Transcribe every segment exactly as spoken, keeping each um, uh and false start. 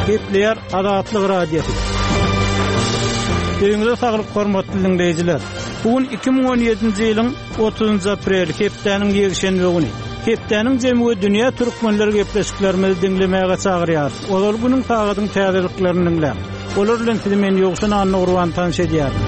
Gepleýär Azatlyk Radiosy. Öýüňize saglyk hormatly dinleýjiler. Bu gün iki müň on ýedinji ýylyň otuzynjy apreli, hepdäniň ýekşenbe güni. Hepdäniň jemi we dünýä türkmenleri gepleşiklerimizi diňlemäge çagyrýar. Ozal günüň sagadyň täzeliklerini diňläň. Olar bilen sizi men Ýowşan Annagurban tanyş edýärin.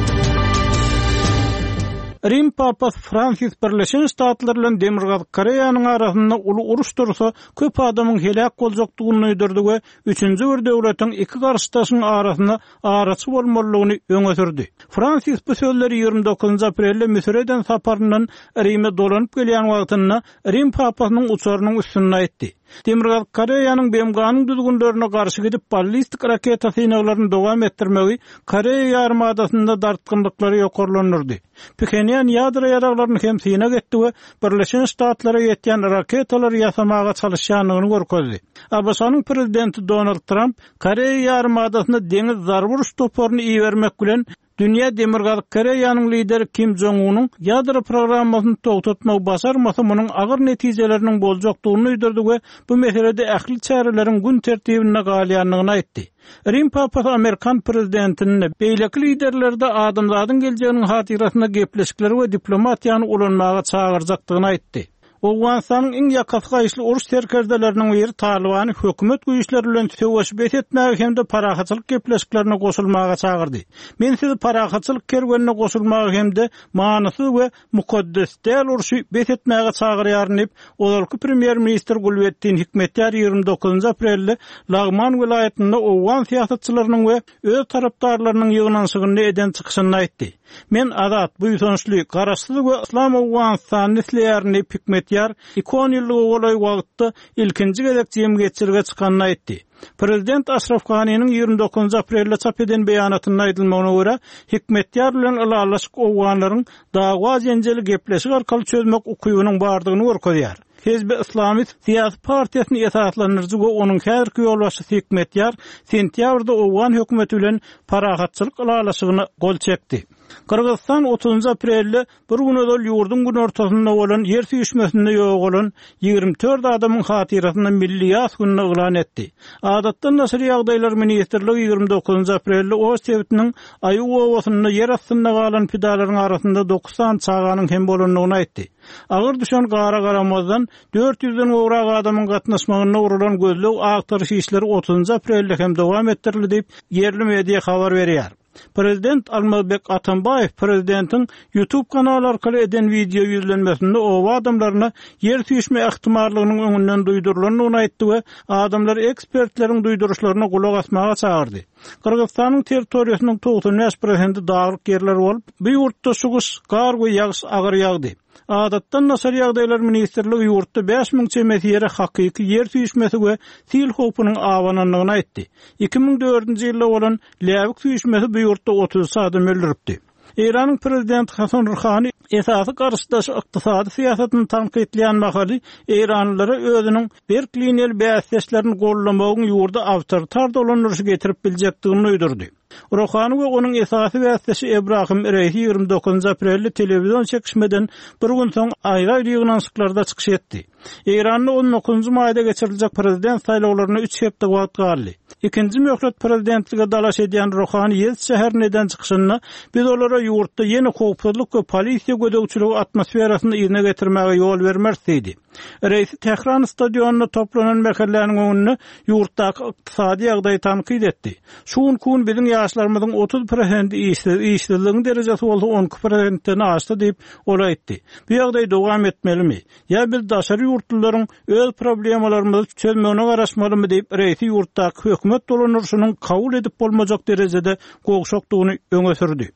Rim Papasy Fransis Birleşen Ştatlar bilen Demirgazyk Koreýanyň arasynda uly uruş dursa, köp adamyň heläk boljakdygyny duýdurdy we üçünji bir döwletiň iki garşydaşyň arasynda araçy bolmalydygyny öňe sürdi. Fransis bu sözleri ýigrimi dokuzynjy aprelde Müsüre eden saparyndan Rime dolanyp gelýän wagtynda Rim Papasynyň uçarynyň üstünde aýtdy. Demirgazyk Koreýanyň B M G-nyň düzgünlerine garşy gidip ballistik raketa synaglaryny dowam etdirmegi Koreýa ýarymadasynda dartgynlyklary ýokarlandyrdy. Phenýan ýadro ýaraglaryny hem synag etdi we Birleşen Ştatlara ýetýän raketalary ýasamaga çalışýandygyny görkezdi. A B Ş-nyň prezidenti Donald Trump Koreýa ýarymadasynda deňiz zarba uruş toparyny ibermek bilen Dünýä Demirgazyk Koreýanyň lideri Kim Jong-unyň ýadro programmasyny togtatmagy başarmasa munuň agyr netijeleriniň boljakdygyny duýdurdy we bu meselede ähli çäreleriň gün tertibinde galýandygyny aýtdy. Rim Papasy Amerikan prezidentini beýleki liderlerde adamzadyň geljeginiň hatyrasyna gepleşikleri we diplomatiýany ulanmaga çagyrjakdygyny aýtdy. Owganystanyň iň ýakasy gaýyşly uruş serkerdeleriniň biri Talibany hökümet güýçleri bilen söweş bes etmäge hem-de parahatçylyk gepleşiklerine goşulmaga çagyrdy. Men sizi parahatçylyk kerwenine goşulmaga hem-de manysyz we mukaddes däl urşy bes etmäge çagyrýaryn diýip, ozalky premýer-ministr Gulbetdin Hikmetýar ýigrimi dokuzynjy aprelde Lagman welaýatynda Owgan syýasatçylarynyň we öz tarapdarlarynyň ýygnanyşygynda eden çykyşynda aýtdy. Men azat, buýsançly, garaşsyz we Yslam Owganystanyny isleýärin diýip Hikmetýar iki on ýyllyga golaý wagtda ilkinji gezek jemgyýetçilige çykanyny aýtdy. Prezident Aşraf Ghaniniň ýigrimi dokuzynjy aprelde çap eden beýanatynda aýdylmagyna görä, Hikmetýar bilen ylalaşyk Owganlaryň dawa jenjeli gepleşik arkaly çözmek ukybynyň bardygyny görkezýär. Hizbi Islami syýasy partiýasyny esaslandyryjy we onuň häzirki ýolbaşçysy Hikmetýar sentýabrda Owgan hökümeti bilen parahatçylyk ylalaşygyna gol çekdi. Gyrgyzystan otuzynjy aprelde bir gün ozal ýurduň günortasynda bolan ýer süýşmesinde ýogalan ýigrimi dört adamyň hatyrasyna milli ýas gününi yglan etdi. Adatdan daşary ýagdaýlar ministrligi ýigrimi dokuzynjy aprelde Oş sebitiniň Aýuw obasynda ýer astynda galan pidalaryň arasynda dokuz sany çaganyň hem bolandygyny aýtdy. Agyr düşen gara garamazdan dört ýüzden gowrak adamyň gatnaşmagynda gurulan gözleg agtaryş işleri otuzynjy aprelde hem dowam etdirildi diýip ýerli media habar berýär. Prezident Almazbek Atambaýew prezidentiň YouTube kanaly arkaly eden video ýüzlenmesinde oba adamlaryna ýer süýşme ähtimallygynyň öňünden duýdurylandygyny aýtdy we adamlar ekspertleriň duýduryşlaryna gulak asmaga çagyrdy. Gyrgyzystanyň territoriýasynyň togsan bäş prosenti daglyk ýerler bolup, bu ýurtda şu gyş gar we ýagyş agyr ýagdy. Adatdan daşary ýagdaýlar ministrligi ýurtda bäş müň çemesi ýere hakyky ýer süýşmesi we sil howpunyň abanandygyny aýtdy. Iki müň dördünji ýylda bolan läbik süýşmesi bu ýurtda otuz üç adam öldüripdi. Eýranyň prezidenti Hasan Ruhani esasy garşydaş ykdysady syýasatyny tankytlaýan mahaly Eýranlylara özüniň berk liniýaly bäsdeşlerini gollamagyň ýurda awtoritar dolandyryşy getirip biljekdigini duýdurdy. Ruhani we onuň esasy bäsdeşi Ebrahim Reisi ýigrimi dokuzynjy aprelde telewizion çekişmeden bir gün soň aýry-aýry ýygnanyşyklarda çykyş etdi. Eýranda on dokuzynjy maýda geçiriljek prezident saýlawlaryna üç hepde wagt galdy. Ikinji möhlet prezidentlige dalaş edýän Ruhani Ýez şäherinde eden çykyşynda biz olara ýurtda ýene howpsuzlyk we polisiýa gözegçiligi atmosferasyny yzyna getirmäge ýol bermeris diýdi. Reisi Tehran stadionynda toplanan mähelläniň öňünde ýurtdaky ykdysady ýagdaýy tankyt etdi. Şu gün kun biziň ýaşlarymyzyň otuz prosenti işsiz, işsizligiň derejesi bolsa on iki prosentden aşdy diýip ol aýtdy. Bu ýagdaý dowam etmelimi? Ýa biz daşary ýurtlylaryň öz problemalarymyzy çözmegine garaşmalymy diýip reisi ýurtdaky hökümet dolandyryşynyň kabul edip bolmajak derejede gowşakdygyny öňe sürdi.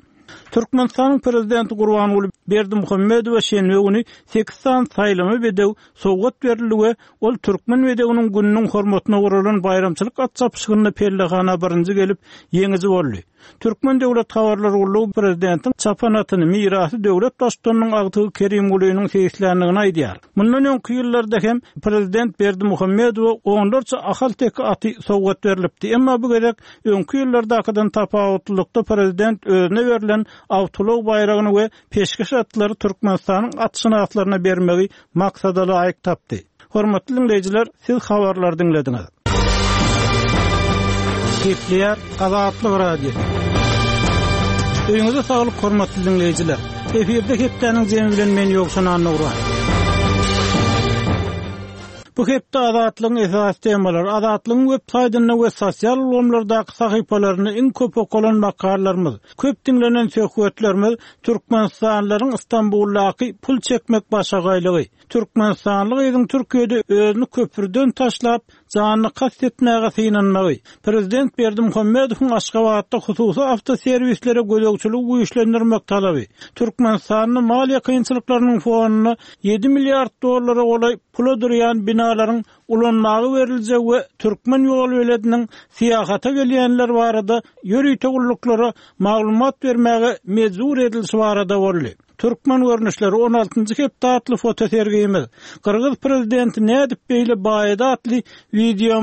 Türkmenistanyň prezidenti Gurbanguly Berdimuhamedowa şenbe güni sekiz sany saýlama bedew sowgat berildi we ol Türkmen bedewiniň gününiň hormatyna guralan baýramçylyk at çapyşygynda pellehana birinji gelip ýeňiji boldy. Türkmen Döwlet Habarlar Gullugy prezidentiň çapan atyny mirasy döwlet baştutanynyň agtygy Kerimgulynyň seýisländigini aýdýar. Mundan öňki ýyllarda hem prezident Berdimuhamedowa onlarça ahal-teke aty sowgat berilipdi. Emma bu gezek öňki ýyllardakydan tapawutlylykda prezident özüne berlen awtoulag baýragyny we peşgeş atlary Türkmenistanyň atşynaslaryna bermegi maksada laýyk tapdy. Hormatly dinleýjiler, siz habarlary diňlediňiz. Gepleýär Azatlyk Radiosy. Öýüňize saglyk hormatly diňleýjiler. Efirde hepdäniň jemi bilen men Ýowşan Annagurban. Bu hepde Azatlygyň esasy temalary Azatlygyň web saýtynda we sosial ulgamlardaky sahypalarynda iň köp okalan makalalarymyz, köp diňlenen söhbetlerimiz Türkmenistanlylaryň Istanbuldaky pul çekmek başagaýlygy, Türkmenistanly gyzyň Türkiýede özüni köprüden taşlap, janyna kast etmäge synanmagy, Prezident Berdimuhamedowyň Aşgabatda hususy awtoserwislere gözegçiligi güýçlendirmek talaby, Türkmenistanda maliýe kynçylyklarynyň fonunda ýedi milliard dollara golaý pula durýan binalaryň ulanmaga beriljegi we türkmen ýolbelediniň syýahata gelýänler barada ýörite gulluklara maglumat bermäge mejbur edilişi barada boldy. Türkmen görnüşleri on altynjy hepde atly fotosergimiz, Gyrgyz prezidenti nädip beýle baýady atly wideomyz,